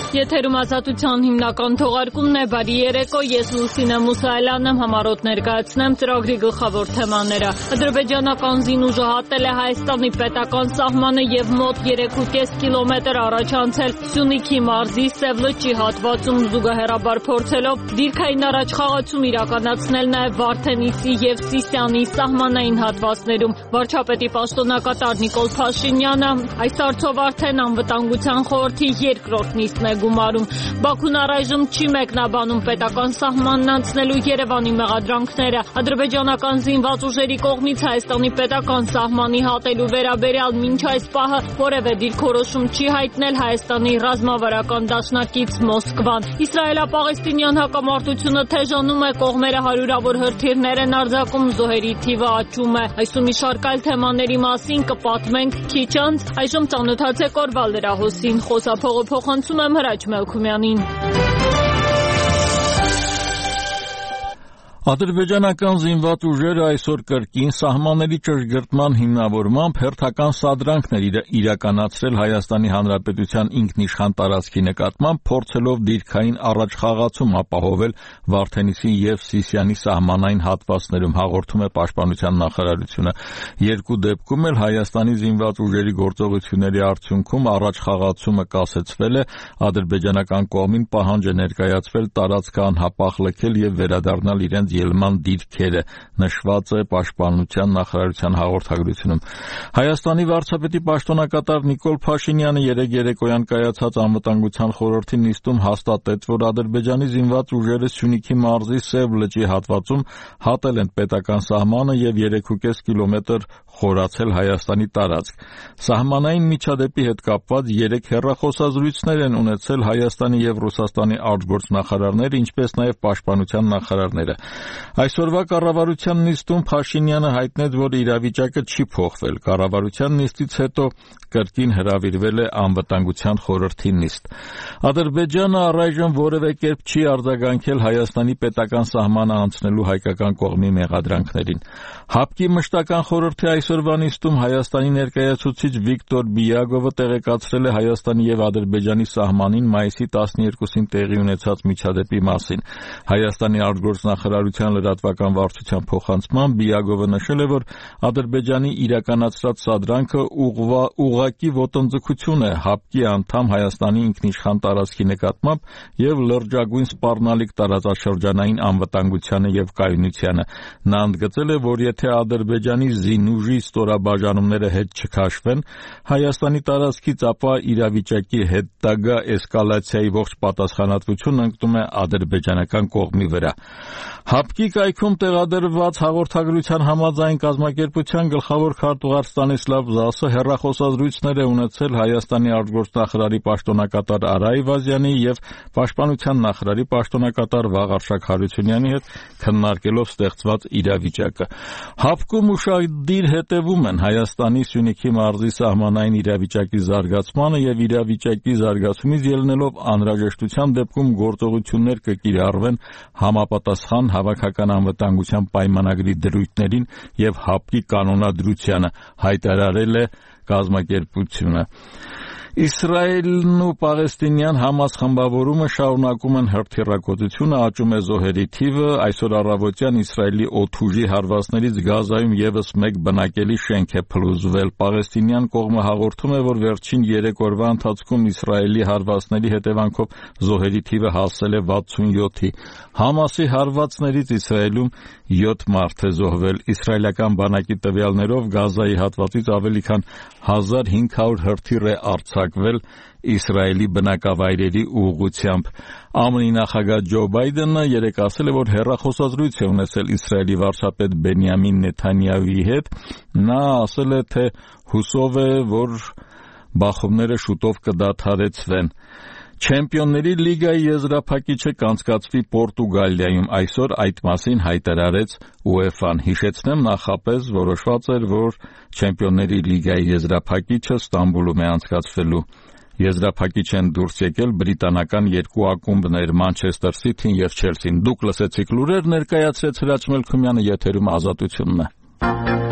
Եթերում ազատության հիմնական թողարկումն է, բարի երեկո, ես Լուսինե Մուսայելյանն եմ, համառոտ ներկայացնեմ ծրագրի գլխավոր թեմաները։ Ադրբեջանական զինուժը հատել է Հայաստանի պետական սահմանը եւ մոտ 3.5 կիլոմետր առաջ անցել Սյունիքի մարզի Սևլճի հատվածում զուգահեռաբար փորձելով դիրքային առաջխաղացում իրականացնել նաեւ Վարդենիսի եւ Սիսիանի սահմանային հատվածներում։ Վարչապետի պաշտոնակատար Նիկոլ Փաշինյանը այս հարցով արդեն անվտանգության խորհրդի երկրորդ նիստն է գումարում։ Բաքուն առայժմ չի մեկնաբանում պետական սահմանն անցնելու Երևանի մեղադրանքները։ Ադրբեջանական զինված ուժերի կողմից Հայաստանի պետական սահմանի հատելու վերաբերյալ մինչ այս պահը որևէ դիրքորոշում չի հայտնել Հայաստանի ռազմավարական դաշնակից Մոսկվան։ Իսրայելա-պաղեստինյան հակամարտությունը թեժանում է, կողմերը հարյուրավոր հրթիռներ են արձակում, զոհերի թիվը աճում է։ Այս ու մի շարք այլ թեմաների մասին կպատմենք քիչ անց։ Այժմ ծանոթացեք օրվա լրահոսին, խոսափողը փոխանցում եմ Հրաչ Մելքումյանին։ Ադրբեջանական զինված ուժերը այսօր կրկին սահմանների ճշգրտման հիմնավորմամբ հերթական սադրանքներ իրականացրել Հայաստանի Հանրապետության ինքնիշխան տարածքի նկատմամբ, փորձելով դիրքային առաջխաղացում ապահովել Վարդենիսի եւ Սիսիանի սահմանային հատվածներում, հաղորդում է Պաշտպանության նախարարությունը։ Երկու դեպքում էլ Հայաստանի զինված ուժերի գործողությունների արդյունքում առաջխաղացումը կասեցվել է, ադրբեջանական կողմին պահանջ է ներկայացվել տարածքը անհապաղ լքել եւ վերադառնալ իրենց ելման դիրքերը, նշված է Պաշտպանության նախարարության հաղորդագրությունում։ Հայաստանի վարչապետի պաշտոնակատար Նիկոլ Փաշինյանը երեկ երեկոյան կայացած անվտանգության խորհրդի նիստում հաստատեց, որ Ադրբեջանի զինված ուժերը Սյունիքի մարզի Սև լճի հատվածում հատել են պետական սահմանը եւ 3.5 կիլոմետր խորացել Հայաստանի տարածք։ Սահմանային միջադեպի հետ կապված 3 հեռախոսազրույցներ են ունեցել Հայաստանի եւ Ռուսաստանի արտգործնախարարները, ինչպես նաեւ Պաշտպանության նախարարները։ Այսօրվա կառավարության նիստում Փաշինյանը հայտնեց, որ իրավիճակը չի փոխվել։ Կառավարության նիստից հետո կրկին հրավիրվել է անվտանգության խորհրդի նիստ։ Ադրբեջանը առայժմ որևէ կերպ չի արձագանքել Հայաստանի պետական սահմանը անցնելու հայկական կողմի մեղադրանքներին։ ՀԱՊԿ-ի մշտական խորհրդի այսօրվա նիստում Հայաստանի ներկայացուցիչ Վիկտոր Բիագովը տեղեկացրել է Հայաստանի եւ Ադրբեջանի սահմանին մայիսի 12-ին տեղի ունեցած միջադեպի մասին։ Հայաստանի արտգործնախարարության լրատվական վարչության փոխանցմամբ Բիագովը նշել է, որ Ադրբեջանի իրականացրած սադրանքը ուղղակի ոտնձգություն է ՀԱՊԿ-ի անդամ Հայաստանի ինքնիշխան տարածքի նկատմամբ եւ լրջագույն սպառնալիք տարածաշրջանային անվտանգությանը եւ կայունությանը։ Նա ընդգծել է, որ եթե Ադրբեջանի զինուժի ստորաբաժանումները հետ չքաշվեն Հայաստանի տարածքից, ապա իրավիճակի հետագա էսկալացիայի ողջ պատասխանատվությունն ընկնում է ադրբեջանական կողմի վրա։ ՀԱՊԿ-ի կայքում տեղադրված հաղորդագրության համաձայն կազմակերպության գլխավոր քարտուղար Ստանիսլավ Զասը հեռախոսազրույցներ է ունեցել Հայաստանի արտգործնախարարի պաշտոնակատար Արա Այվազյանի եւ Պաշտպանության նախարարի պաշտոնակատար Վաղարշակ Հարությունյանի հետ, քննարկելով ստեղծված իրավիճակը։ ՀԱՊԿ-ում ուշադիր հետևում են Հայաստանի Սյունիքի մարզի սահմանային իրավիճակի զարգացմանը եւ իրավիճակի զարգացումից ելնելով անհրաժեշտության դեպքում գործողություններ կկիրառվեն համապատասխան հավաքական անվտանգության պայմանագրի դրույթներին եւ ՀԱՊԿ-ի կանոնադրությանը, հայտարարել է կազմակերպությունը։ Իսրայելն ու պաղեստինյան Համաս խմբավորումը շարունակում են հրթիռակոծությունը, աճում է զոհերի թիվը։ Այսօր առավոտյան Իսրայելի օդուժի հարվածներից Գազայում եւս մեկ բնակելի շենք է փլուզվել։ Պաղեստինյան կողմը հաղորդում է, որ վերջին 3 օրվա ընթացքում Իսրայելի հարվածների հետևանքով զոհերի թիվը հասել է 67-ի։ Համասի հարվածներից Իսրայելում 7 մարդ է զոհվել։ Իսրայելական բանակի տվյալներով Գազայի հատվածից ավելի քան 1500 հրթիռ է արձակվել Իսրայելի բնակավայրերի ուղղությամբ։ ԱՄՆ-ի նախագահ Ջո Բայդենը երեկ ասել է, որ հեռախոսազրույց է ունեցել Իսրայելի վարչապետ Բենյամին Նեթանյահուի հետ։ Նա ասել է, թե հուսով է, որ բախումները շուտով կդադարեցվեն։ Չեմպիոնների լիգայի եզրափակիչը կանցկացվի Պորտուգալիայում։ Այսօր այդ մասին հայտարարեց ՈՒԵՖԱ-ն։ Հիշեցնեմ, նախապես որոշված էր, որ Չեմպիոնների լիգայի եզրափակիչը Ստամբուլում է անցկացվելու։ Եզրափակիչ են դուրս եկել բրիտանական 2 ակումբներ՝ Մանչեսթեր Սիթին եւ Չելսին։ Դուք լսեցիք լուրեր, ներկայացրեց Հրաչ Մելքումյանը, եթերում Ազատությունն է։